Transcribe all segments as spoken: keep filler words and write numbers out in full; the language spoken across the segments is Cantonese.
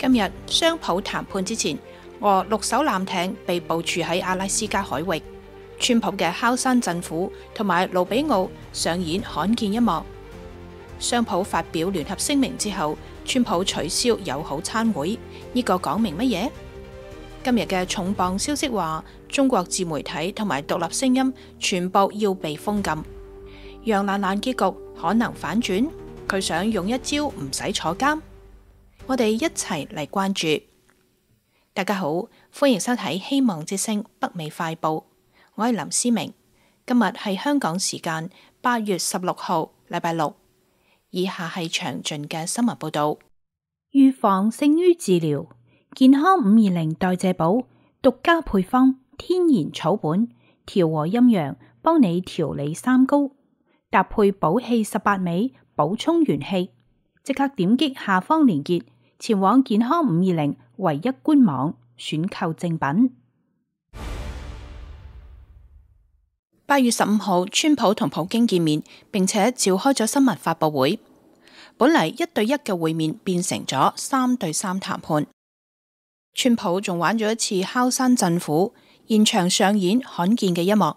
今日雙普談判之前，俄六艘艦艇被部署喺阿拉斯加海域。川普嘅敲山震虎同埋盧比奧上演罕見一幕。雙普發表聯合聲明之後，川普取消友好餐會，呢、這個講明乜嘢？今日嘅重磅消息話，中國自媒體同埋獨立聲音全部要被封禁。楊蘭蘭結局可能反轉，佢想用一招唔使坐監。我哋一齊嚟關注。大家好，歡迎收睇《希望之聲》北美快報，我係林思明。今日係香港時間八月十六號，禮拜六。以下係詳盡嘅新聞報道。預防勝於治療，健康五二零代謝寶獨家配方，天然草本，調和陰陽，幫你調理三高，搭配寶氣十八味，補充元氣。即刻點擊下方連結，前往健康五二零唯一官網選購正品。八月十五號，川普同普京見面，並且召開咗新聞發佈會。本嚟一對一嘅會面變成咗三對三談判。川普仲玩咗一次敲山震虎，現場上演罕見嘅一幕。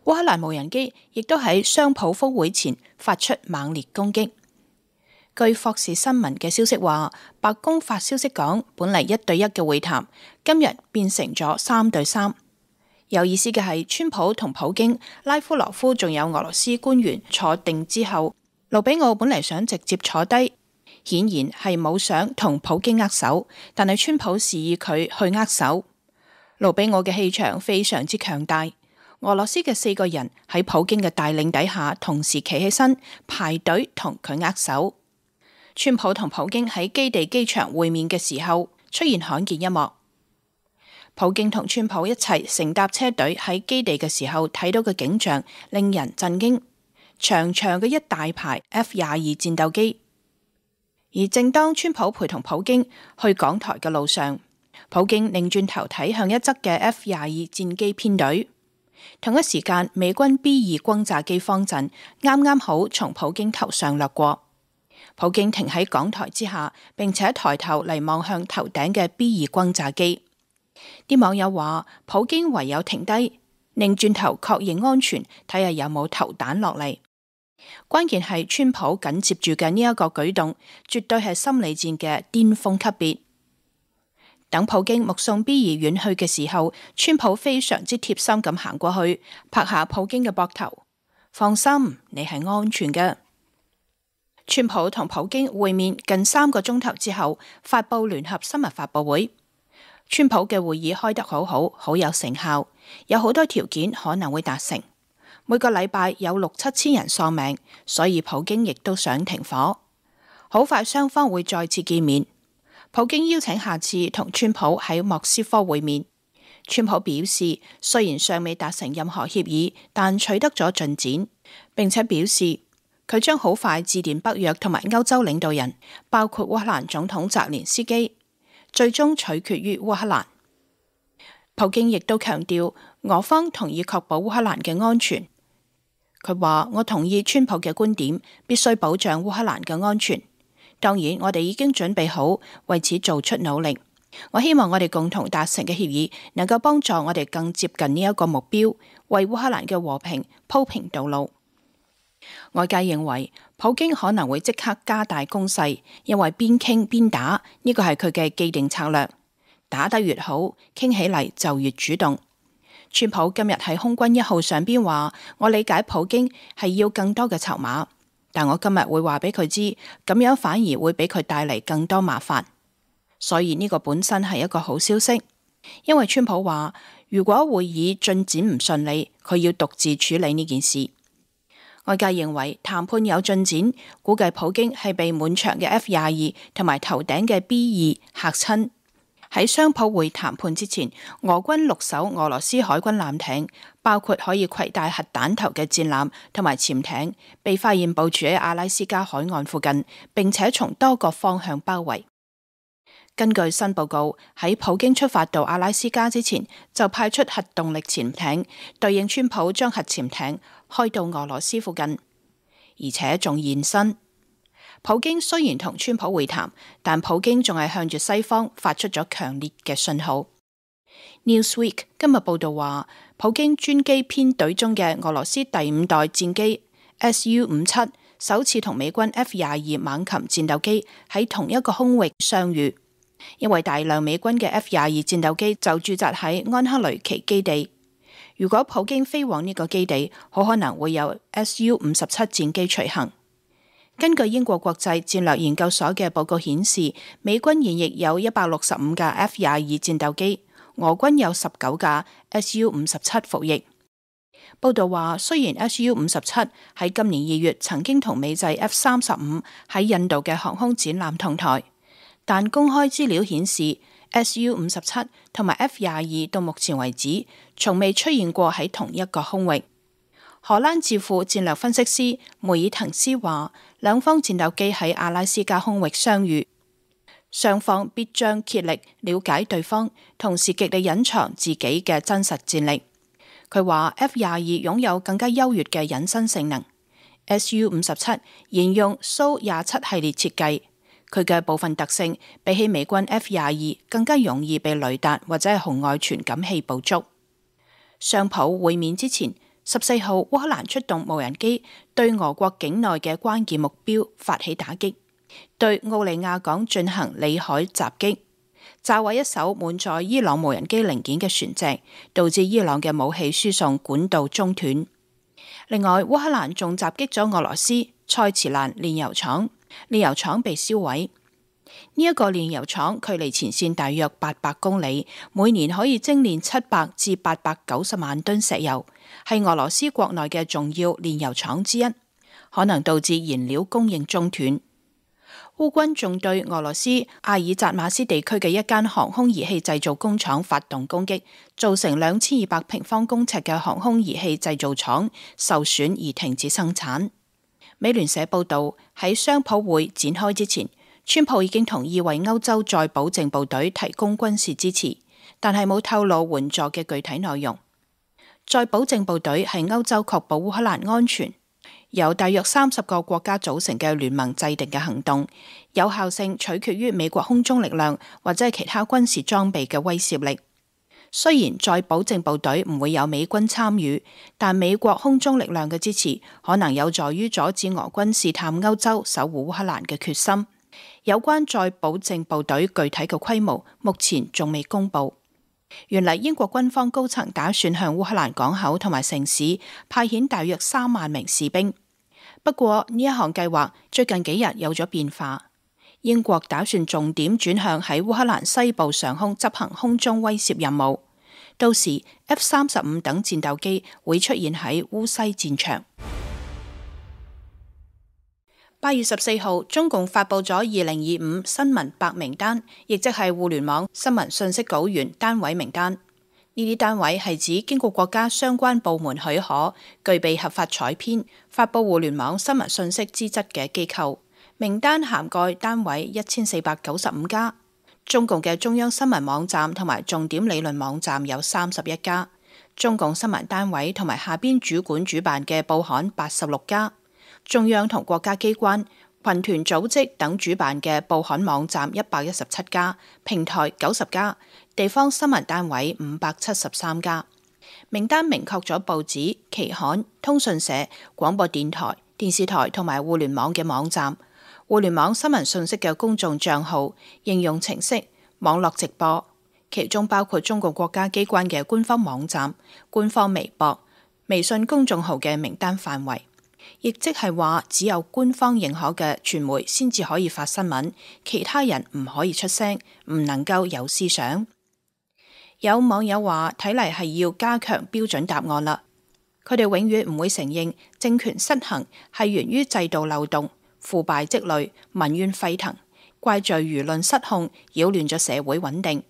烏克蘭無人機亦都喺雙普峰會前發出猛烈攻擊。據霍士新聞嘅消息話，白宮發消息講，本嚟一對一嘅會談，今日變成咗三對三。有意思嘅係，川普同普京、拉夫羅夫仲有俄羅斯官員坐定之後，盧比奧本嚟想直接坐低，顯然係冇想同普京握手，但係川普示意佢去握手。盧比奧嘅氣場非常之強大，俄羅斯嘅四個人喺普京嘅帶領底下，同時企起身排隊同佢握手。川普同普京喺基地機場會面嘅時候，出現罕見一幕。普京同川普一齊乘搭車隊喺基地嘅時候，睇到嘅景象令人震驚，長長嘅一大排 F 廿二戰鬥機。而正當川普陪同普京去港台嘅路上，普京擰轉頭睇向一側嘅 F 廿二戰機編隊。同一時間，美軍 B 二轟炸機方陣啱啱好從普京頭上掠過。普京停喺港台之下，並且抬頭嚟望向頭頂嘅 B 二轟炸機。啲網友話，普京唯有停低，擰轉頭確認安全，睇下有冇投彈落嚟。關鍵係川普緊接住嘅呢一個舉動，絕對係心理戰嘅巔峰級別。等普京目送 B 二遠去嘅時候，川普非常之貼心咁行過去，拍下普京嘅膊頭，放心，你係安全嘅。川普同普京會面近三個鐘頭之後，發佈聯合新聞發佈會。川普嘅會議開得好好，好有成效，有好多條件可能會達成。每個禮拜有六七千人喪命，所以普京亦都想停火。好快雙方會再次見面。普京邀請下次同川普喺莫斯科會面。川普表示，雖然尚未達成任何協議，但取得咗進展，並且表示佢將好快致電北約同埋歐洲領導人，包括烏克蘭總統澤連斯基，最終取決於烏克蘭。普京亦都強調，俄方同意確保烏克蘭嘅安全。佢話：我同意川普嘅觀點，必須保障烏克蘭嘅安全。當然，我哋已經準備好為此做出努力。我希望我哋共同達成嘅協議，能夠幫助我哋更接近呢一個目標，為烏克蘭嘅和平鋪平道路。外界認為普京可能會即刻加大攻勢，因為邊傾邊打，呢個係佢嘅既定策略。打得越好，傾起嚟就越主動。川普今日喺空軍一號上邊話：我理解普京係要更多嘅籌碼，但我今日會話俾佢知，咁樣反而會俾佢帶嚟更多麻煩。所以呢個本身係一個好消息，因為川普話如果會議進展唔順利，佢要獨自處理呢件事。外界認為談判有進展，估計普京係被滿場嘅 F 廿二同埋頭頂嘅 B 二嚇親。喺雙普會談判之前，俄軍六艘俄羅斯海軍艦艇，包括可以攜帶核彈頭嘅戰艦同埋潛艇，被發現部署喺阿拉斯加海岸附近，並且從多個方向包圍。根據新報告，喺普京出發到阿拉斯加之前，就派出核動力潛艇，對應川普將核潛艇開到俄羅斯附近，而且仲現身。普京雖然同川普會談，但普京仲係向住西方發出咗強烈嘅信號。Newsweek 今日報道話，普京專機編隊中嘅俄羅斯第五代戰機 S U 五七首次同美軍 F 廿二猛禽戰鬥機喺同一個空域相遇，因為大量美軍嘅 F 廿二戰鬥機就駐紮喺安克雷奇基地。如果普京飛往呢個基地，好可能會有 S U 五十七戰機隨行。根據英國國際戰略研究所嘅報告顯示，美軍現役有一百六十五架 F 廿二戰鬥機，俄軍有十九架 S U 五十七服役。報道話，雖然 S U 五十七喺今年二月曾經同美製 F 三十五喺印度嘅航空展覽同台，但公開資料顯示 S U 五十七同埋 F 廿二到目前為止從未出現過喺同一個空域。荷蘭智庫戰略分析師梅爾滕斯話，兩方戰鬥機喺阿拉斯加空域相遇，雙方必將竭力了解對方，同時極力隱藏自己嘅真實戰力。佢話 F 廿二擁有更加優越嘅隱身性能 ，S U 五十七沿用蘇廿七系列設計，佢嘅部分特性比起美軍 F 廿二更加容易被雷達或者係紅外傳感器捕捉。雙普會面之前，十四號烏克蘭出動無人機對俄國境內嘅關鍵目標發起打擊，對奧利亞港進行裏海襲擊，炸毀一艘滿載伊朗無人機零件嘅船隻，導致伊朗嘅武器輸送管道中斷。另外，烏克蘭仲襲擊咗俄羅斯塞茨蘭煉油廠，煉油廠被燒毀。呢、這、一個煉油廠距離前線大約八百公里，每年可以精煉七百至八百九十萬噸石油，係俄羅斯國內嘅重要煉油廠之一，可能導致燃料供應中斷。烏軍仲對俄羅斯阿爾扎馬斯地區嘅一間航空儀器製造工廠發動攻擊，造成兩千二百平方公尺嘅航空儀器製造廠受損而停止生產。美聯社報道，喺雙普會展開之前，川普已經同意為歐洲再保證部隊提供軍事支持，但係冇透露援助嘅具體內容。再保證部隊係歐洲確保烏克蘭安全，由大約三十個國家組成嘅聯盟制定嘅行動，有效性取決於美國空中力量或者係其他軍事裝備嘅威懾力。雖然再保證部隊唔會有美軍參與，但美國空中力量嘅支持可能有助於阻止俄軍試探歐洲守護烏克蘭嘅決心。有關再保證部隊具體嘅規模，目前仲未公布。原嚟英國軍方高層打算向烏克蘭港口同埋城市派遣大約三萬名士兵，不過呢一項計劃最近幾日有咗變化。英國打算重點轉向喺烏克蘭西部上空執行空中威懾任務，到時 F 三十五等戰鬥機會出現喺烏西戰場。八月十四號，中共發布咗二零二五新聞白名單，亦即係互聯網新聞信息稿源單位名單。呢啲單位係指經過國家相關部門許可、具備合法採編、發布互聯網新聞信息資質嘅機構。名單涵蓋單位一千四百九十五家。中共嘅中央新聞網站同埋重點理論網站有三十一家。中共新聞單位同埋下邊主管主辦嘅報刊八十六家。中央同國家機關、群團組織等主辦嘅報刊網站一百一十七家，平台九十家，地方新聞單位五百七十三家。名單明確咗報紙、期刊、通訊社、廣播電台、電視台同埋互聯網嘅網站、互聯網新聞信息嘅公眾帳號、應用程式、網絡直播，其中包括中國國家機關嘅官方網站、官方微博、微信公眾號嘅名單範圍。亦即係話，只有官方認可嘅傳媒先至可以發新聞，其他人唔可以出聲，唔能夠有思想。有網友話，睇嚟係要加強標準答案啦。佢哋永遠唔會承認政權失衡係源於制度漏洞、腐敗積累、民怨沸騰，怪罪輿論失控，擾亂咗社會穩定。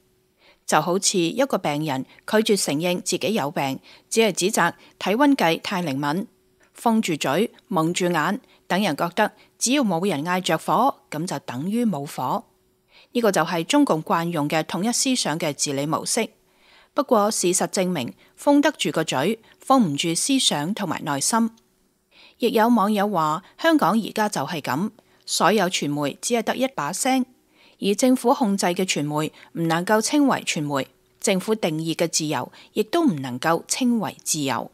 就好似一個病人拒絕承認自己有病，只係指責體溫計太靈敏，封住嘴、蒙住眼，等人覺得只要冇人嗌着火，咁就等於冇火。呢個就係中共慣用嘅統一思想嘅治理模式。不過事實證明，封得住個嘴，封唔住思想同埋內心。亦有網友話，香港而家就係咁，所有傳媒只係得一把聲，而政府控制嘅傳媒唔能夠稱為傳媒，政府定義嘅自由亦都唔能夠稱為自由。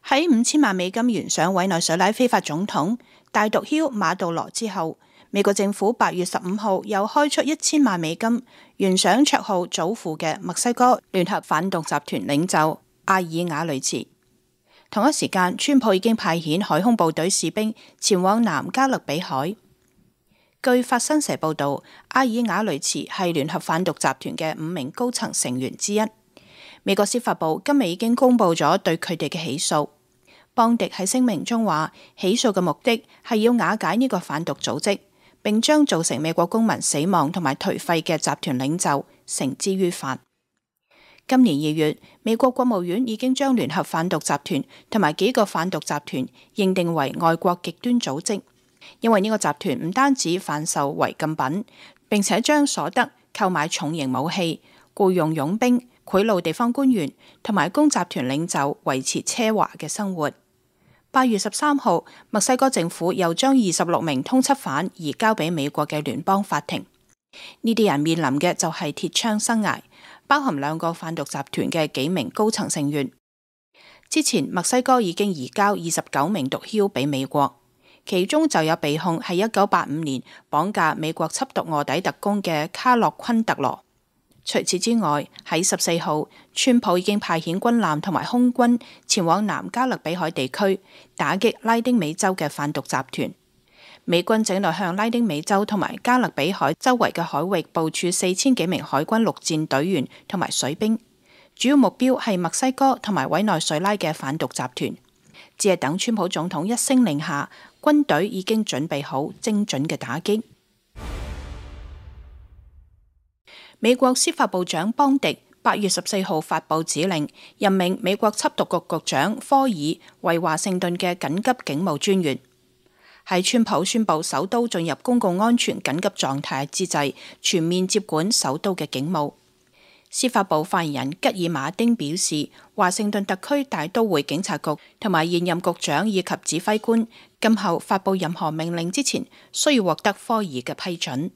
喺五千萬美金懸賞委內瑞拉非法總統大毒梟馬杜羅之後，美國政府八月十五號又開出一千萬美金懸賞綽號祖父嘅墨西哥聯合販毒集團領袖阿爾瓦雷茨。同一時間，川普已經派遣海空部隊士兵前往南加勒比海。據法新社報道，阿爾瓦雷茨係聯合販毒集團嘅五名高層成員之一。美國司法部今日已經公布咗對佢哋嘅起訴。邦迪喺聲明中話，起訴嘅目的係要瓦解呢個販毒組織，並將造成美國公民死亡同埋頹廢嘅集團領袖繩之於法。今年二月，美國國務院已經將聯合販毒集團同埋幾個販毒集團認定為外國極端組織，因為呢個集團唔單止販售違禁品，並且將所得購買重型武器、僱用傭兵、賄賂地方官員同埋供集團領袖維持奢華嘅生活。八月十三號，墨西哥政府又將二十六名通緝犯移交俾美國嘅聯邦法庭。呢啲人面臨嘅就係鐵槍生涯，包含兩個販毒集團嘅幾名高層成員。之前墨西哥已經移交二十九名毒梟俾美國，其中就有被控係一九八五年綁架美國緝毒臥底特工嘅卡洛昆特羅。除此之外，喺十四號，川普已經派遣軍艦同埋空軍前往南加勒比海地區打擊拉丁美洲嘅販毒集團。美軍正在向拉丁美洲同埋加勒比海周圍嘅海域部署四千幾名海軍陸戰隊員同埋水兵，主要目標係墨西哥同埋委內瑞拉嘅販毒集團。只係等川普總統一聲令下，軍隊已經準備好精準嘅打擊。美國司法部長邦迪八月十四號發布指令，任命美國緝毒局局長科爾為華盛頓嘅緊急警務專員。喺川普宣布首都進入公共安全緊急狀態之際，全面接管首都嘅警務。司法部發言人吉爾馬丁表示，華盛頓特區大都會警察局同埋現任局長以及指揮官，今後發布任何命令之前，需要獲得科爾嘅批准。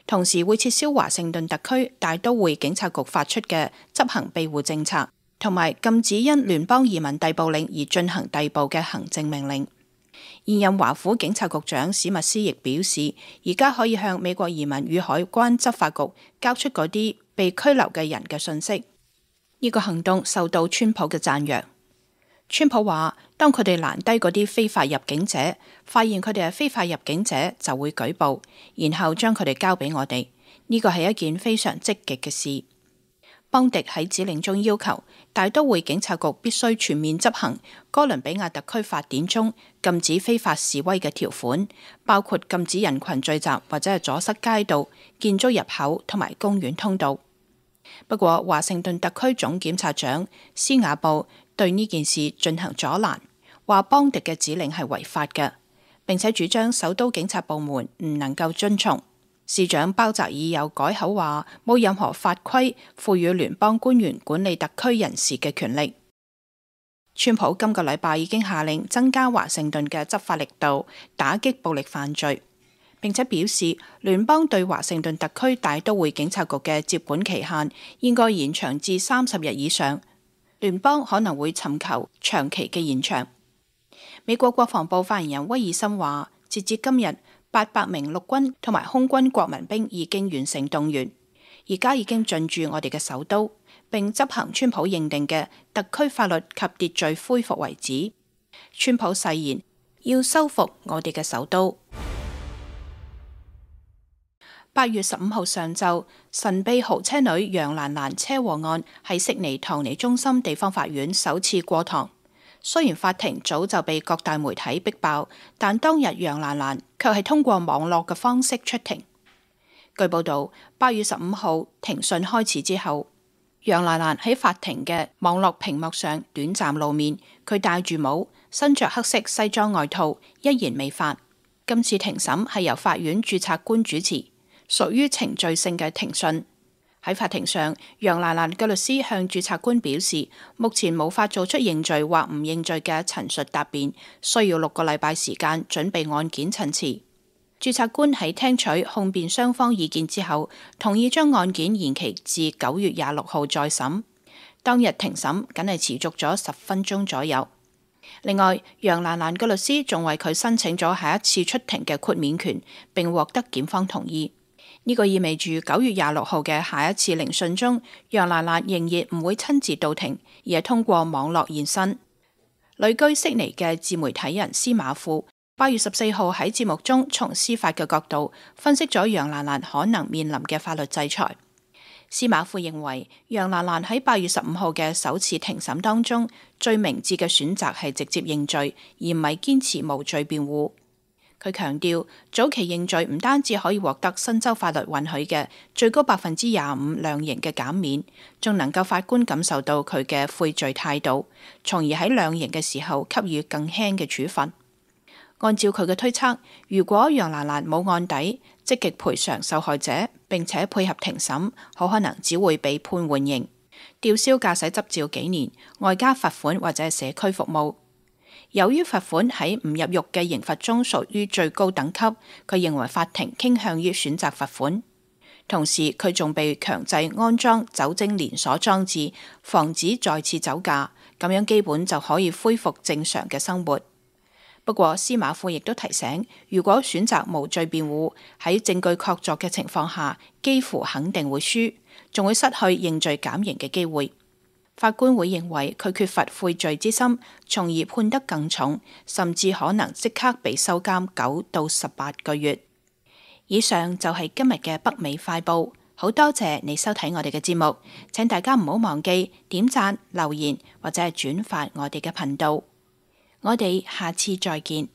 同時會撤銷華盛頓特區大都會警察局發出嘅執行庇護政策，同埋禁止因聯邦移民逮捕令而進行逮捕嘅行政命令。現任華府警察局長史密斯亦表示，而家可以向美國移民與海關執法局交出嗰啲被拘留嘅人嘅信息。呢個行動受到川普嘅讚揚。川普話，當佢哋攔低嗰啲非法入境者，發現佢哋係非法入境者，就會舉報，然後將佢哋交俾我哋。呢個係一件非常積極嘅事。邦迪喺指令中要求大都會警察局必須全面執行哥倫比亞特區法典中禁止非法示威嘅條款，包括禁止人群聚集或者係阻塞街道、建築入口同埋公園通道。不過，華盛頓特區總檢察長斯瓦布對呢件事進行阻攔，話邦迪嘅指令係違法嘅，並且主張首都警察部門唔能夠遵從。市長鮑澤爾又改口話，冇任何法規賦予聯邦官員管理特區人士嘅權力。川普今個禮拜已經下令增加華盛頓嘅執法力度，打擊暴力犯罪，並且表示聯邦對華盛頓特區大都會警察局嘅接管期限應該延長至三十日以上。聯邦可能會尋求長期嘅延長。美國國防部發言人威爾森話，截至今日，八百名陸軍同埋空軍國民兵已經完成動員，而家已經進駐我哋嘅首都，並執行川普認定嘅特區法律及秩序恢復為止。川普誓言要收復我哋嘅首都。八月十五號上晝，神秘豪車女楊蘭蘭車禍案喺悉尼唐尼中心地方法院首次過堂。雖然法庭早就被各大媒體逼爆，但當日楊蘭蘭卻係通過網絡嘅方式出庭。據報道，八月十五號庭訊開始之後，楊蘭蘭喺法庭嘅網絡屏幕上短暫露面，佢戴住帽，身着黑色西裝外套，一言未發。今次庭審係由法院註冊官主持，屬於程序性嘅庭訊。喺法庭上，楊蘭蘭嘅律師向註冊官表示，目前無法做出認罪或唔認罪嘅陳述答辯，需要六個禮拜時間準備案件陳詞。註冊官喺聽取控辯雙方意見之後，同意將案件延期至九月廿六號再審。當日庭審僅係持續咗十分鐘左右。另外，楊蘭蘭嘅律師仲為佢申請咗下一次出庭嘅豁免權，並獲得檢方同意。呢個意味住九月廿六號嘅下一次聆訊中，楊蘭蘭仍然唔會親自到庭，而係通過網絡現身。旅居悉尼嘅自媒體人司馬富八月十四號喺節目中從司法嘅角度分析咗楊蘭蘭可能面臨嘅法律制裁。司馬富認為，楊蘭蘭喺八月十五號嘅首次庭審當中，最明智嘅選擇係直接認罪，而唔係堅持無罪辯護。佢強調，早期認罪唔單止可以獲得新州法律允許嘅最高百分之廿五量刑嘅減免，仲能夠法官感受到佢嘅悔罪態度，從而喺量刑嘅時候給予更輕嘅處分。按照佢嘅推測，如果楊蘭蘭冇案底，積極賠償受害者，並且配合庭審，好可能只會被判緩刑、吊銷駕駛執照幾年，外加罰款或者係社區服務。由於罰款喺唔入獄嘅刑罰中屬於最高等級，佢認為法庭傾向於選擇罰款。同時，佢仲被強制安裝酒精連鎖裝置，防止再次酒駕，咁樣基本就可以恢復正常嘅生活。不過，司馬富亦都提醒，如果選擇無罪辯護，喺證據確鑿嘅情況下，幾乎肯定會輸，仲會失去認罪減刑嘅機會。法官會認為佢缺乏悔罪之心，從而判得更重，甚至可能即刻被收監九到十八個月。以上就係今日嘅北美快報，好多謝你收睇我哋嘅節目，請大家唔好忘記點讚、留言或者係轉發我哋嘅頻道。我哋下次再見。